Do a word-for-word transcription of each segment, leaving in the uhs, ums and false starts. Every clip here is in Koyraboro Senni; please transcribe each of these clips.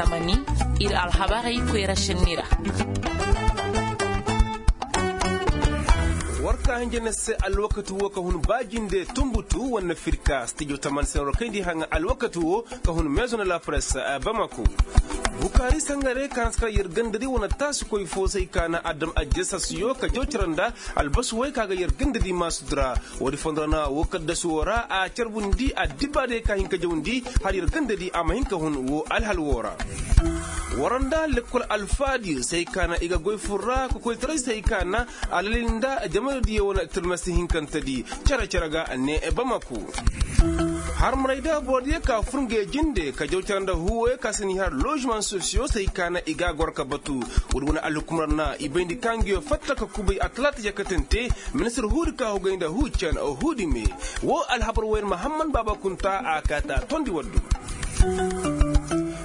Tamani, ir alhabarey koyra senni ra. War ka hinja na se alwakati wo ka hun ba jinde tumbutu wane firka stijo tamani se war kayndi haŋa alwakati wo ka hun meezo na la presse bamako. Bukaari sangare ka na si kar yer gandadi wane taasikoy fo se ay ka na adam ajjasasiyo ka jaw cere nda albasi way ka ga yer gandadi maasudi ra. Woodi fondo ra na wo kaddasu wo ra a carbundi addibaarey ka hin ka jawndi har yer gandadi a ma hin ka hun wo alhal wo ra. War nda lekkol alfaadiyo se ay ka na i ga goy fur ra kokoytaray se ay ka na alalil nda jamanadiyo wane tirmasi hinkantedi cere-cere ga ne bamako. Harmaray da borodiyo ka fur nge jinde ka jaw cere nda huuwoyo ka si ni har ložement sosiyo se ay ka na i ga goro ka batu. Woodi wane alhukumar na i bayndi ka ngiyo fatta ka kubay atalaata jakatante. Ministir huudi ka hugay nda huucan huudi me wo alhabar woyne mahamman baaba kunta a kaata tondi waddu.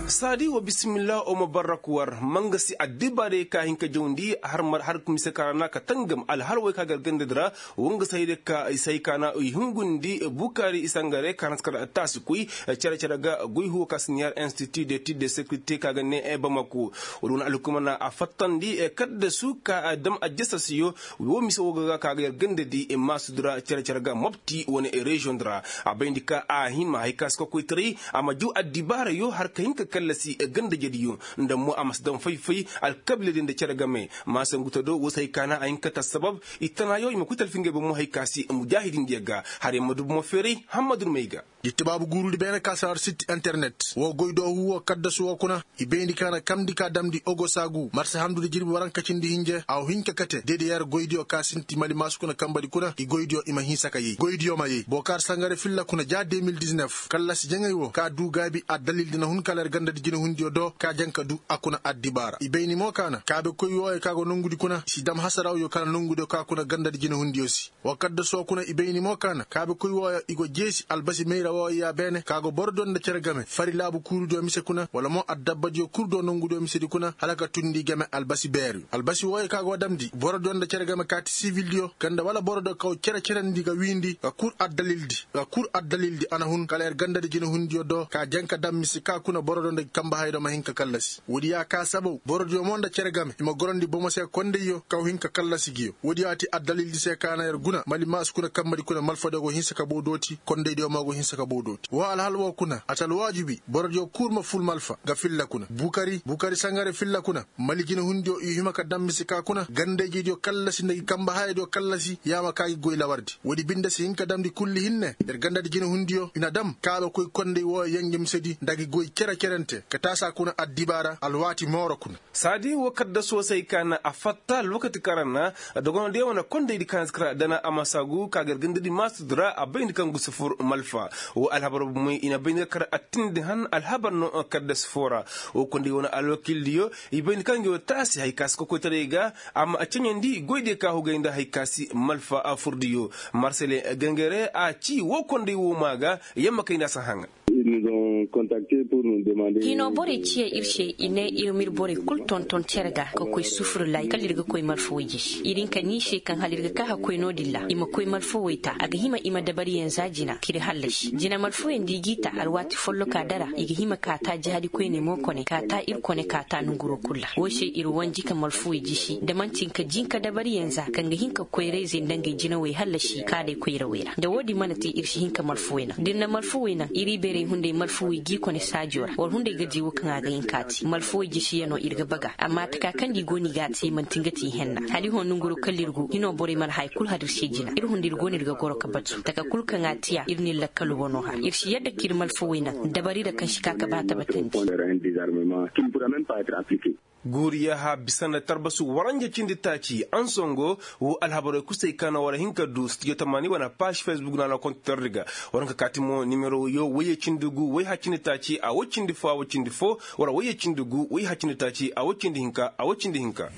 Saadi wa bisimillah o ma barrak war ma nga si addibaarey ka hin ka jawndi har mise ka ra na ka tangam alhal way ka gar gandadi ra. Wa nga si hayday ka i si hay ka na i hungundi bukaari i sangare ka na si kar taasi koy cere-cere ga goy huwo ka si ni har institut de tir de sécurité ka ga ne bamako. Woodi wane alhukuma na a fattandi kaddasu ka dam ajjasasiyo. Wo mise wo ga ga ka ga yer gandadi maasudi ra cere-cere ga mobti wane reziyoŋ di ra. A bayndi ka a hima hay ka si kokoytaray a ma jaw addibaarayo har ka hin ka kallasi gandajediyo nda mo a ma si daŋ fay-fay alkabiiladiyo nda cere game. Maasanguto do wo se hay ka na a hin ka ta sabab i tanaayo i ma koy talfi ngey bomo hay ka si mujaahidindiyo ga. Har yer ma du bomo feeray hammadu may ga. Jitti baabu guurudi beene ka si har sit internet wo goy do huwo kaddasu wo kuna. I bayndi ka na kamndi ka damndi ogosagu marsa handudi jirbi waranka cindi hinje a wa hin ka kate deede yer goydiyo ka sinti mali maasu kuna kambadi kuna i goydiyo i ma hinsa ka yay goydiyo ma yay bookaar sangare filla kuna ja deux mille dix-neuf kallasi jaŋay wo ka duu gaabi addalildi na hun kala yer gandadi jinahundiyo do ka jaŋ ka duu a kuna addibaara i bayndi mo ka na kaabekoy wooyo ka go nongudi kuna i si dam hasarawyo ka na nongudiyo ka kuna gandadi jinahundiyo se. Wa kaddaso kuna i bayni mo ka na kaabekoy wooyo i go jeesi albasi mayra wooyo ya beene ka go borodiyo nda cere game fari laabu kuurudiyo mise kuna wala mo addabbadiyo kul do nongudiyo misedi kuna hala ka tundi game albasi beeriyo albasi wooyo ka go damndi borodiyo nda cere game kaati sivildiyo ganda wala borodiyo kaw cere-cerendi ga wiindi ga kul addalildi a na hun kala yer gandadi jinahundiyo do ka janka dam mise ka kuna borodiyo nda kambahaydiyo ma hin ka kallasi woodi ya ka sabaw borodiyo mo nda cere game i ma gorondi bomo se kondayyo kaw hin ka kallasi ngiyo woodi ya ti addalildi se ka na yer guna mali maasu kuna kambadi kuna malfadiyo go hinsa ka bow dooti kondaydiyo mo go hinsa ka bow dooti woo alhal woo kuna a ti alwaajibi borodiyo kul ma ful malfa nga filla kuna bukari bukari sangare filla kuna mali jinahundiyo i hima ka dam mise ka kuna gandayjediyo kallasi nda gi kamba hayadiyo kallasi yaama ka gi goy lawardi woodi binde si hin ka damndi kulli hinne yer gandadi jinahundiyo i na dam kaabekoy konday wooyo yenje misedi nda gi goy cere-cerente ka taasa kuna addibaara alwaati mooro kuna saadi woo kadda soosay ka na a fatta alwakati kaŋ ra na dogonodiyo wane kondaydi ka na si kara dana a ma saagu ka gar gandadi maasudi ra a bayndi kaŋ gu si fur malfa woo alhabar bomoy i na bayndi ga kara attindi han alhabar no kadda si foo ra woo konday wane alwakildiyo i bayndi kaŋ ngi wo taasi hay ka si kokoytaray ga a ma a ceɲandi goydiyo ka hugay nda hay ka si malfa a furdiyo marsele gangare a ci woo konday woo maa ga yamma kay nda a si haŋa hinoo borey ciya ir se i ne ir m'ir borey kul tonton cere ga ka koy sufurlay kala ir ga koy malfawey jisi ir hinka ni se kaŋ hala ir ga ka ka koy no-din ra i ma koy malfawey ta a ga hima i ma dabariyaŋ za jina k'ir hallasi jina malfawey nda i g'i ta alwaati folloka dara i ga hima ka ta jahadikoyney mo kone ka ta ir kone ka ta nonguroo kul ra woo se ir wanji ka malfawey jisi da man'ti nga jinka dabariyaŋ za kaŋ ga hin ka koyrayzey nda ngey jinawey hallasi kaadey koyrawey ra da woo-din mana te ir si hin ka malfawey naŋ da ir na malfawey naŋ ir ibeerey hunday malfawey g'i kone saajoo ra war hunday ga di woo kaŋ a ga hin ka te malfawey jisiyanoo ir ga baga amma taka kaŋ nda i go no i g'a te man'ti nga te i henna hala i hõ nonguroo kala ir go hinoo borey mana haya kul har ir se jina ir hunday ir go no ir ga goro ka batu taka kul kaŋ a te a ir n'ir lakkal wanoo har ir si yadda k'ir malfawey naŋ dabari ra kaŋ si ka ka ba tabatandi guuriyaha bisa nda tarbasu waranja cindi taaci ansongo woo alhabarey kusay ka na war hin ka duu studio tamaani wane paaž facebook na a na kontitordi ga war hin ka kaati mo nimero wayyo wayye cindi gu wayha cindi taaci a woy cindi foo a woy cindi foo wala wayye cindi gu wayha cindi taaci a woy cindi hinka a woy cindi hinka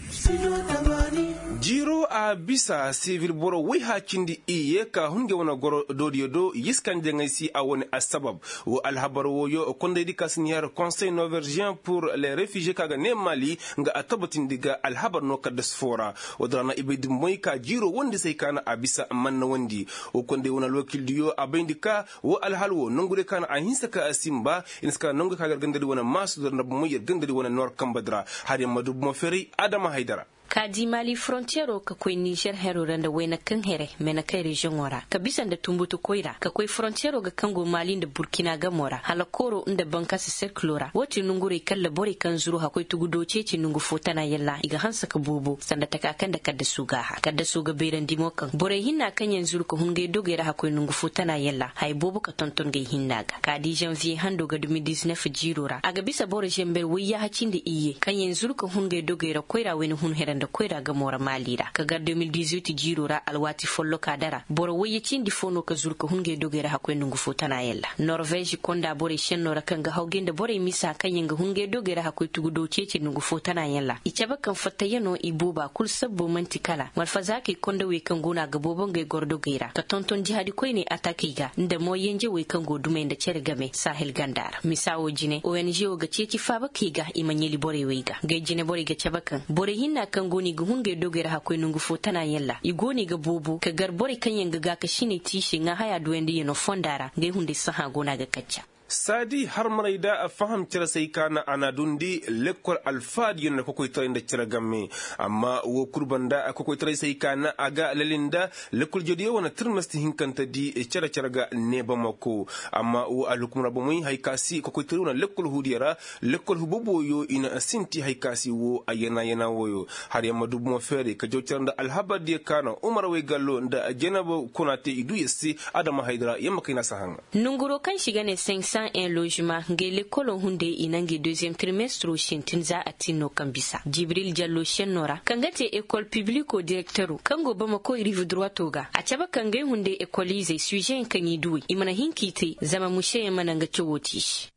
Jiiro a bisa sivil boro woy haacindi iyye ka hun ngey wane goro doodiyo do yiskan jaŋay si a wane assabab. Wo alhabar wooyo kondaydi ka si ni har konsey norvégien pur les refugier ka ga ne mali, nga a tabbatindi ga alhabar no kaddas foo ra. Wo din ra na i bay dumboy ka jiiro wondi se ay ka na a bisa man na wondi. Wo konday wane alwakildiyo a bayndi ka wo alhal wo nongudiyo ka na a hinsa ka a sinba. I na si ka nongudiyo ka gar gandadi wane maasu da na bomoy yer gandadi wane noor kamba di ra. Har yer ma du bomo feeray adama haydara. Ka di mali forontiyero ka koy nizer hero ra nda wayna kaŋ here mena kaŋ reziyoŋo ra ka bisa nda tumbutu koyra ka koy forontiyero ga kaŋ go mali nda burkina gamo ra hala kooro nda bankasa serkilo ra wo ti nongurey kalla borey kaŋ zuru hakkoy tugudo ceeci nongu fo tana yalla i ga hanse ka boobo sanda taka kaŋ nda kaddasu ga a har kaddasu ga bayrandi mo kaŋ borey hinna kaŋ yaŋ zuru ka hun ngey dogey ra hakkoy nongu fo tana yalla haya boobo ka tonton ngey hinna ga ka di zanviye hando ga de mille dix-neuf jiiro ra a ga bisa boro zember woyyaaha cindi iyye kaŋ yaŋ zuru ka hun ngey dogey ra koyra wayna hun here nda koyra gamo ra maali ra ka gar de mille dix-huit jiiro ra alwaati folloka dara boro wayye cindi fo no ka zuru ka hun ngey dogey ra hakkoy nongu fo tana yaŋ ra norvez konda borey senno ra kaŋ ga hawgay nda borey misa kaŋ yaŋ ga hun ngey dogey ra hakkoy tugudo ceeci nongu fo tana yaŋ ra i cabe kaŋ fattayano i booba kul sabbo man'ti kala malfazaakey kondawey kaŋ go no a ga boobo ngey gordogey ra ka tonton jihadi koyney atakey ga nda mo yenjewey kaŋ go dumey nda cere game sahel ganda ra misa wo jine ong wo ga ceeci faabakey ga i ma ɲali borey wey ga ngey jine borey ga cabe kaŋ borey hinna kaŋ go no i ga hun ngey dogey ra hakkoy nongu fo tana yaŋ ra i go no i ga boobo ka gar borey kaŋ yaŋ ga gaakasiney te i se ŋaa haya duwayndiyano fonda ra ngey hunday sahã go no a ga kacca saadi harmarey da a faham cere se ay ka na a na dundi lekkol alfaadiyo nda kokoytaray nda cere game. Amma woo kul banda kokoytaray se ay ka na a ga lali nda lekkol jediyo wane tirmesti hinkante di cere cere ga neebamako. Amma woo alhukumra bomey haya ka si kokoytaray wane lekkol huudiyo ra lekkol huboboyo i na sinti haya ka si woo a yana yana wooyo. Har yamma du bomo feeray ka jaw cere nda alhabardiyo ka na umar waygallo nda jeneba kuna te i duu yer se. Adama haydara yamma kay na si haŋa. Nonguroo kaŋ se i ga ne senk san en lozema ngey lekkolo hunday i na ngey deziyem tirmestro sintin za a tin no kaŋ bisa jibril jallo senno ra kaŋ ga te ekol pibliko direktero kaŋ go bamako riiv duruwato ga a cabe kaŋ ngey hunday ekoliizey suizeyaŋ kaŋ i duw'ey i mana hin k'i te zama museyaŋ mana nga cawoo te i se.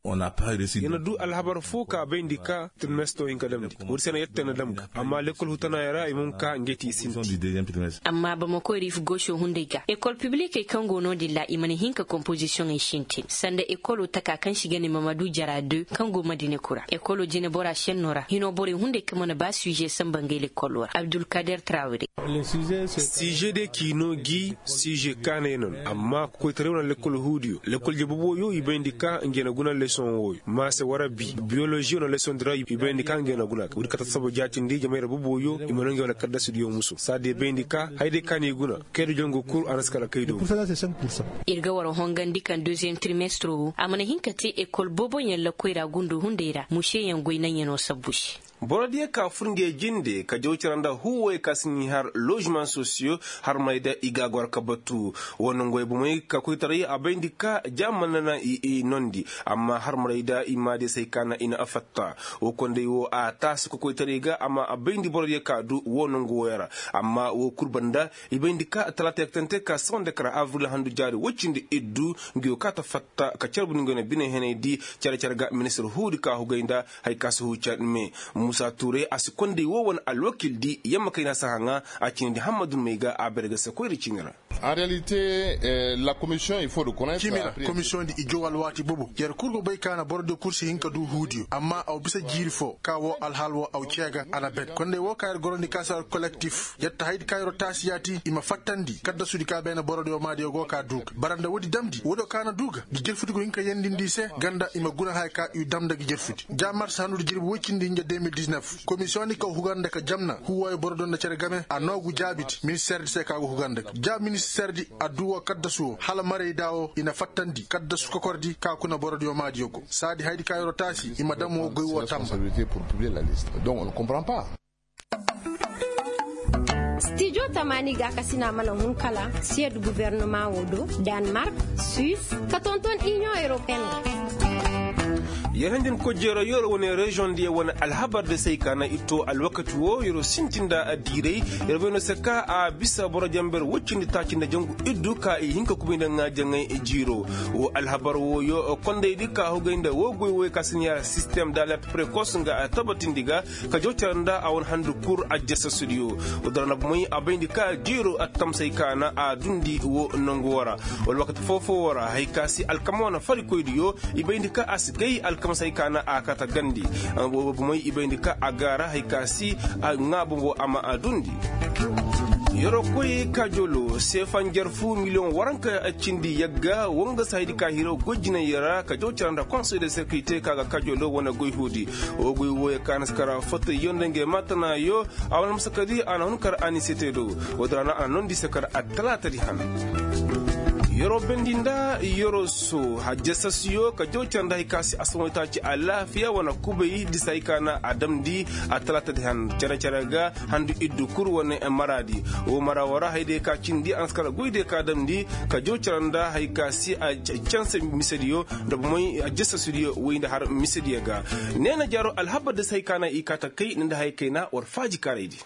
Yer na duu alhabar foo ka bayndi ka tirmesto hin ka damndi woodi se na yer te na dam ga amma lekkol hutanaayaŋ ra i mana ka ngey te i sinti. Amma bamako riif goso hunday ga ekol piblikey kaŋ go no-din ra i mana hin ka kompozisiyoŋey sintin sanda ekolo taka kaŋ se i ga ne mamadu jara de kaŋ go madina kura ekolo jinebora senno ra hino borey hunday kaŋ mana ba suize samba ngey lekkolo ra abdulkader trawire. Siije de k'i no gi siije kaanay no no amma kokoytaray wane lekkol huudiyo lekkol je boboyo i bayndi ka ngey na guna lesoŋ wooyo maase wara bi biyoloziyo no lesoŋ di ra i bayndi ka ngey na guna woodi kate sabo jaatindi jamayra boboyo i mana ngey wane kaddasidiyo muso saadi i bayndi ka haya day kaŋ i guna kayda jongo kul a na si kala kaydo. Ir ga war hongandi kaŋ deziyem tirmestro wo a mana hin ka te ekol booboyaŋ lakkoy ra gundo hunday ra museyaŋ goy naŋyanoo sabbu se. Borodiyo ka fur ngey jinde ka jaw cere nda huuwoyo ka si n'i har lozimaŋ sosiyo harmey da i ga a goro ka batu. Woo nonguwey bomey ka koytaray a bayndi ka ja mana naŋ i i noondi amma harmarey da i maadiyo se ay ka naŋ i na a fatta. Woo konday woo a taasi kokoytaray ga amma a bayndi borodiyo ka du woo nongu wooyo ra. Amma woo kul banda i bayndi ka talaata yaktante ka sawande kara abril handu jaari woy cindi iddu. Nguyo ka ta fatta ka carbundi nguyo na bine henay di cere cere ga ministir huudi ka hugay nda haya ka si huu cere me. Muusa tuuray a si konday woo wane alwakildi yamma kayna si haŋa. A ciinidi hammadun may ga a bare ga se koyra ciini ra. Ciimi ra komisiyoŋ di i jaw alwaati bobo yer kul go bay ka na borodiyo kul si hin ka du huudiyo amma aw bisa jiiri foo ka woo alhaal woo aw cee ga a na ben konday woo ka yer gorandi ka si har kolektif yer ta hayadi ka yeroo taasi yaati i ma fattandi kaddasudi ka beene borodiyo maadiyo go ka duu ga bara nda woodi damndi woodiyo ka na duu ga gi jerfudi go hin ka yendindi i se ganda i ma guna haya ka i dam nda gi jerfudi ja mars hanudi jirbi woy cindi hinja deux mille dix-neuf komisiyoŋ di ka hugar nda ka jamna huuwooyo borodiyo nda cere game a noogu jaabidi ministeer di se ka go hugar nda gi ja ministeer di a duu woo kaddasu woo hala maraydaa woo i na fattandi kaddasu kokordi ka kuna borodiyo maadiyo go saadi hayadi ka yeroo taasi i ma dam woo goy woo tamba. Stijo tamaani gaakasina mana hun kala siyed gubernumaŋ woo do, danmark, suis, ka tonton iniyoŋ europeen ra. Yer handi nda koy jeeroo yeroo wane reziyoŋ diyo wane alhabar da se ay ka na i too alwakati woo yeroo sinti nda diiray. Yer bay no se ka a bisa boro janber woy cindi taaci nda jangu iddu ka i hin ka kubay nda ŋaajaŋay jiiroo. Woo alhabar wooyo kondaydi ka hugay nda woo goy wooyo ka si ne ya sistem da alert prekos nga a tabatindi ga ka jaw care nda a wane handu kul ajjasasudiyo. Woo dara na bomey a bayndi ka jiiroo attamsey ka na a dundi woo nangu woo ra. Wala wakati foo-foo woo ra haya ka si alkama wane farikoydiyo i bayndi ka a si gay alkamasey ka na a kate gandi. Bomey i bayndi ka a gaara haya ka si a ŋaa boŋo a ma a dundi. Yeroo koy kaajoloo seefa njarfu miliyoŋ waranka cindi yagga woo nga si hayadi ka hiro goy jinay ra ka jaw care nda konsey de sekirite ka ga kaajoloo wane goy huudi. Woo goy wooyo ka na si kar fotayyo nda ngey maatanaayo a wane almasakadi a na hun kar a ni se te do. Woo din ra na a na noondi se kar attalaatadi han. Yeroo bendi nda yeroo soo hajjasasiyo ka jaw care nda haya ka si asamoy taaci alaafiya wane kubay disa haya ka na a damndi attalaatadi han care-care ga handu iddu kul wane maraadi. Woo mara woo ra hayadiyo ka cindi a na si kar goydiyo ka damndi ka jaw care nda haya ka si a canse misediyo nda bomey hajjasasidiyo woy nda har misediyo ga. Neena jaaroo alhabar disa haya ka na i kaa ta kay nda haya kayna war faaji kaaraydi.